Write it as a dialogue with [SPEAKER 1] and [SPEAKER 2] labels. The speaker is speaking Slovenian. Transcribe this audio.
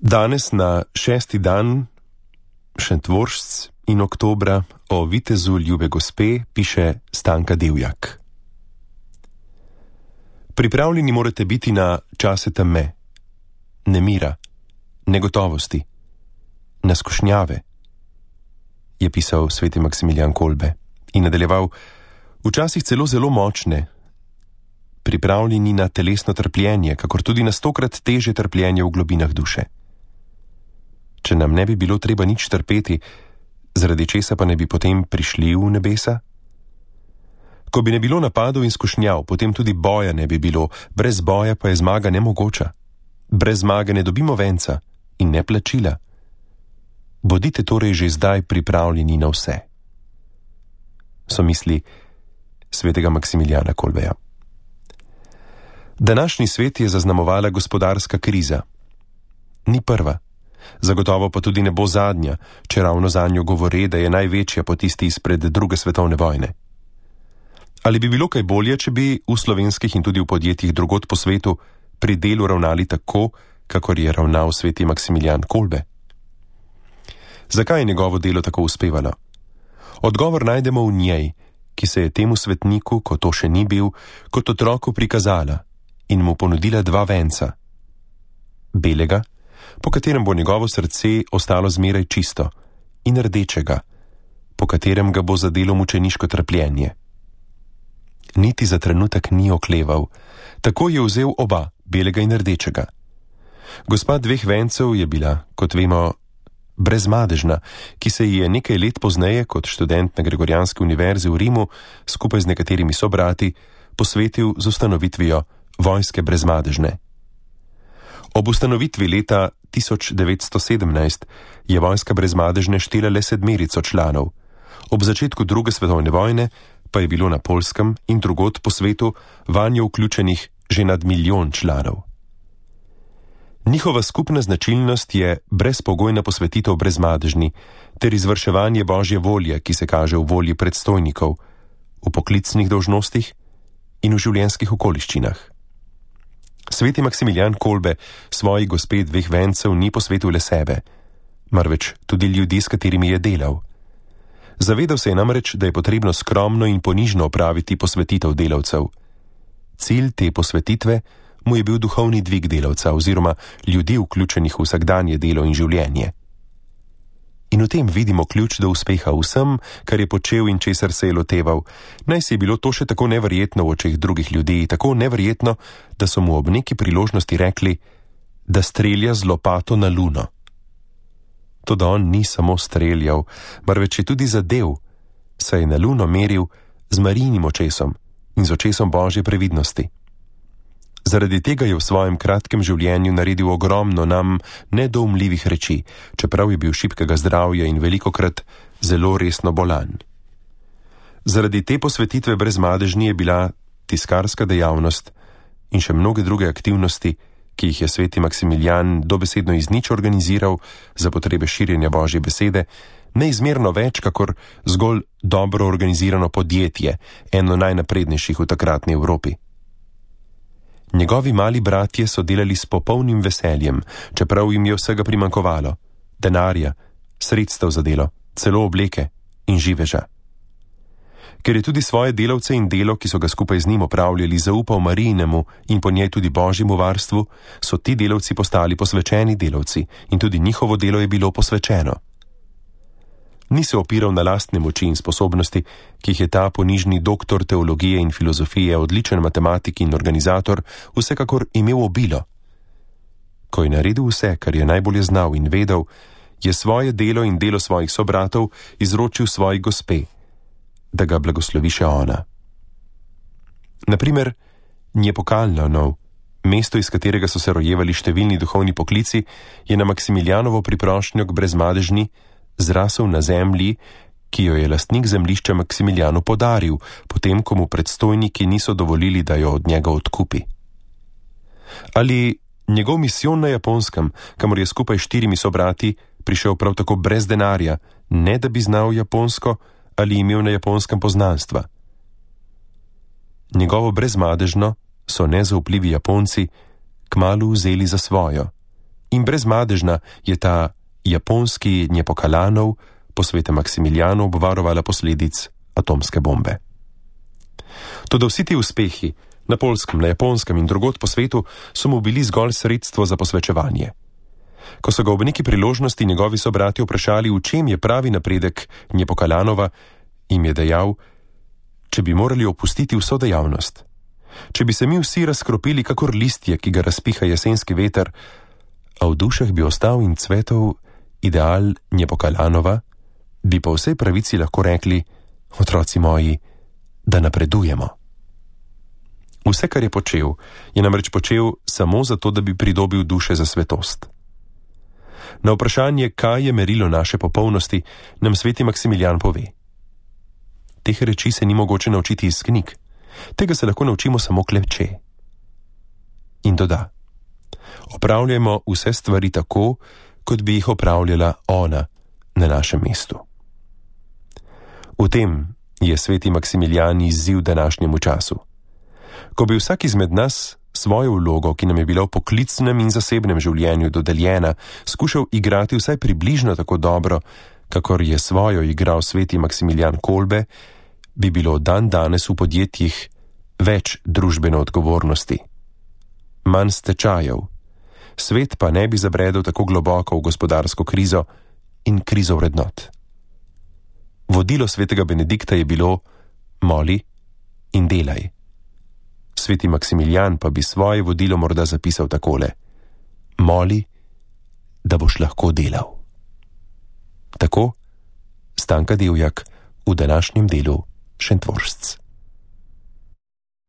[SPEAKER 1] Danes na 6. dan Šentvoržc in oktobra o vitezu ljube gospe piše Stanka Divjak. Pripravljeni morate biti na čase teme, nemira, negotovosti, na skušnjave, je pisal sveti Maksimilijan Kolbe in nadaljeval, včasih celo zelo močne, pripravljeni na telesno trpljenje, kakor tudi na 100-krat teže trpljenje v globinah duše. Če nam ne bi bilo treba nič trpeti, zaradi česa pa ne bi potem prišli v nebesa? Ko bi ne bilo napadov in skušnjav, potem tudi boja ne bi bilo, brez boja pa je zmaga nemogoča. Brez zmage ne dobimo venca in ne plačila. Bodite torej že zdaj pripravljeni na vse. So misli svetega Maksimilijana Kolbeja. Današnji svet je zaznamovala gospodarska kriza. Ni prva. Zagotovo pa tudi ne bo zadnja, če ravno zanjo govore, da je največja po tisti izpred druge svetovne vojne. Ali bi bilo kaj bolje, če bi v slovenskih in tudi v podjetjih drugod po svetu pri delu ravnali tako, kakor je ravnal sveti Maksimilijan Kolbe? Zakaj je njegovo delo tako uspevalo? Odgovor najdemo v njej, ki se je temu svetniku, ko to še ni bil, kot otroku prikazala in mu ponudila 2 venca. Belega, po katerem bo njegovo srce ostalo zmeraj čisto, in rdečega, po katerem ga bo zadelo mučeniško trpljenje. Niti za trenutek ni okleval, tako je vzel oba, belega in rdečega. Gospa 2 vencev je bila, kot vemo, brezmadežna, ki se ji je nekaj let pozneje, kot študent na Gregorijanski univerzi v Rimu, skupaj z nekaterimi sobrati, posvetil z ustanovitvijo vojske brezmadežne. Ob ustanovitvi leta 1917 je vojska brezmadežne štela le 7 članov. Ob začetku druge svetovne vojne pa je bilo na Poljskem in drugod po svetu vanjo vključenih že nad 1 milijon članov. Njihova skupna značilnost je brezpogojna posvetitev brezmadežni ter izvrševanje Božje volje, ki se kaže v volji predstojnikov, v poklicnih dolžnostih in v življenjskih okoliščinah. Sveti Maksimilijan Kolbe svoji gospe 2 vencev ni posvetil le sebe, marveč tudi ljudi, s katerimi je delal. Zavedal se je namreč, da je potrebno skromno in ponižno opraviti posvetitev delavcev. Cilj te posvetitve mu je bil duhovni dvig delavca oziroma ljudi vključenih v vsakdanje delo in življenje. In v tem vidimo ključ do uspeha vsem, kar je počel in česar se je loteval. Naj si je bilo to še tako neverjetno v očeh drugih ljudi, tako neverjetno, da so mu ob neki priložnosti rekli, da strelja z lopato na luno. Toda on ni samo streljal, marveč je tudi zadev, saj je na luno meril z Marijinim očesom in z očesom Božje previdnosti. Zaradi tega je v svojem kratkem življenju naredil ogromno nam nedoumljivih reči, čeprav je bil šibkega zdravja in velikokrat zelo resno bolan. Zaradi te posvetitve brezmadežni je bila tiskarska dejavnost in še mnoge druge aktivnosti, ki jih je sveti Maksimilijan dobesedno iz nič organiziral za potrebe širjenja Božje besede, neizmerno več kakor zgolj dobro organizirano podjetje, eno najnaprednejših v takratni Evropi. Njegovi mali bratje so delali s popolnim veseljem, čeprav jim je vsega primanjkovalo, denarja, sredstev za delo, celo obleke in živeža. Ker je tudi svoje delavce in delo, ki so ga skupaj z njim opravljali, zaupal Marijinemu in po njej tudi Božjemu varstvu, so ti delavci postali posvečeni delavci in tudi njihovo delo je bilo posvečeno. Ni se opiral na lastne moči in sposobnosti, ki jih je ta ponižni doktor teologije in filozofije, odličen matematik in organizator, vsekakor imel obilo. Ko je naredil vse, kar je najbolje znal in vedel, je svoje delo in delo svojih sobratov izročil svoji gospe, da ga blagoslovi še ona. Naprimer, Njepokalnov, mesto, iz katerega so se rojevali številni duhovni poklici, je na Maksimilijanovo priprošnjo k brezmadežni zrasel na zemlji, ki jo je lastnik zemljišča Maksimilijanu podaril, potem ko mu predstojniki niso dovolili, da jo od njega odkupi. Ali njegov misijon na Japonskem, kamor je skupaj 4 sobrati prišel prav tako brez denarja, ne da bi znal japonsko ali imel na Japonskem poznanstva. Njegovo brezmadežno so nezaupljivi Japonci kmalu vzeli za svojo, in brezmadežna je ta japonski Njepokalanov po svetem Maksimiljanu obvarovala posledic atomske bombe. Toda vsi ti uspehi na Poljskem, na Japonskem in drugod po svetu so mu bili zgolj sredstvo za posvečevanje. Ko so ga ob neki priložnosti njegovi sobrati vprašali, v čem je pravi napredek Njepokalanova, jim je dejal, če bi morali opustiti vso dejavnost, če bi se mi vsi razkropili kakor listje, ki ga razpiha jesenski veter, a v dušah bi ostal in cvetov ideal Njepokalanova, bi po vsej pravici lahko rekli, otroci moji, da napredujemo. Vse, kar je počel, je namreč počel samo zato, da bi pridobil duše za svetost. Na vprašanje, kaj je merilo naše popolnosti, nam sveti Maksimilijan pove. Teh reči se ni mogoče naučiti iz knjig, tega se lahko naučimo samo kleče. In doda, opravljajmo vse stvari tako, kot bi jih opravljala ona na našem mestu. V tem je sveti Maksimilijan izziv današnjemu času. Ko bi vsak izmed nas svojo vlogo, ki nam je bila v poklicnem in zasebnem življenju dodeljena, skušal igrati vsaj približno tako dobro, kakor je svojo igral sveti Maksimilijan Kolbe, bi bilo dan danes v podjetjih več družbene odgovornosti, manj stečajev, svet pa ne bi zabredel tako globoko v gospodarsko krizo in krizo vrednot. Vodilo svetega Benedikta je bilo moli in delaj. Sveti Maksimilijan pa bi svoje vodilo morda zapisal takole: moli, da boš lahko delal. Tako Stanka Divjak v današnjem delu Šentvoržc.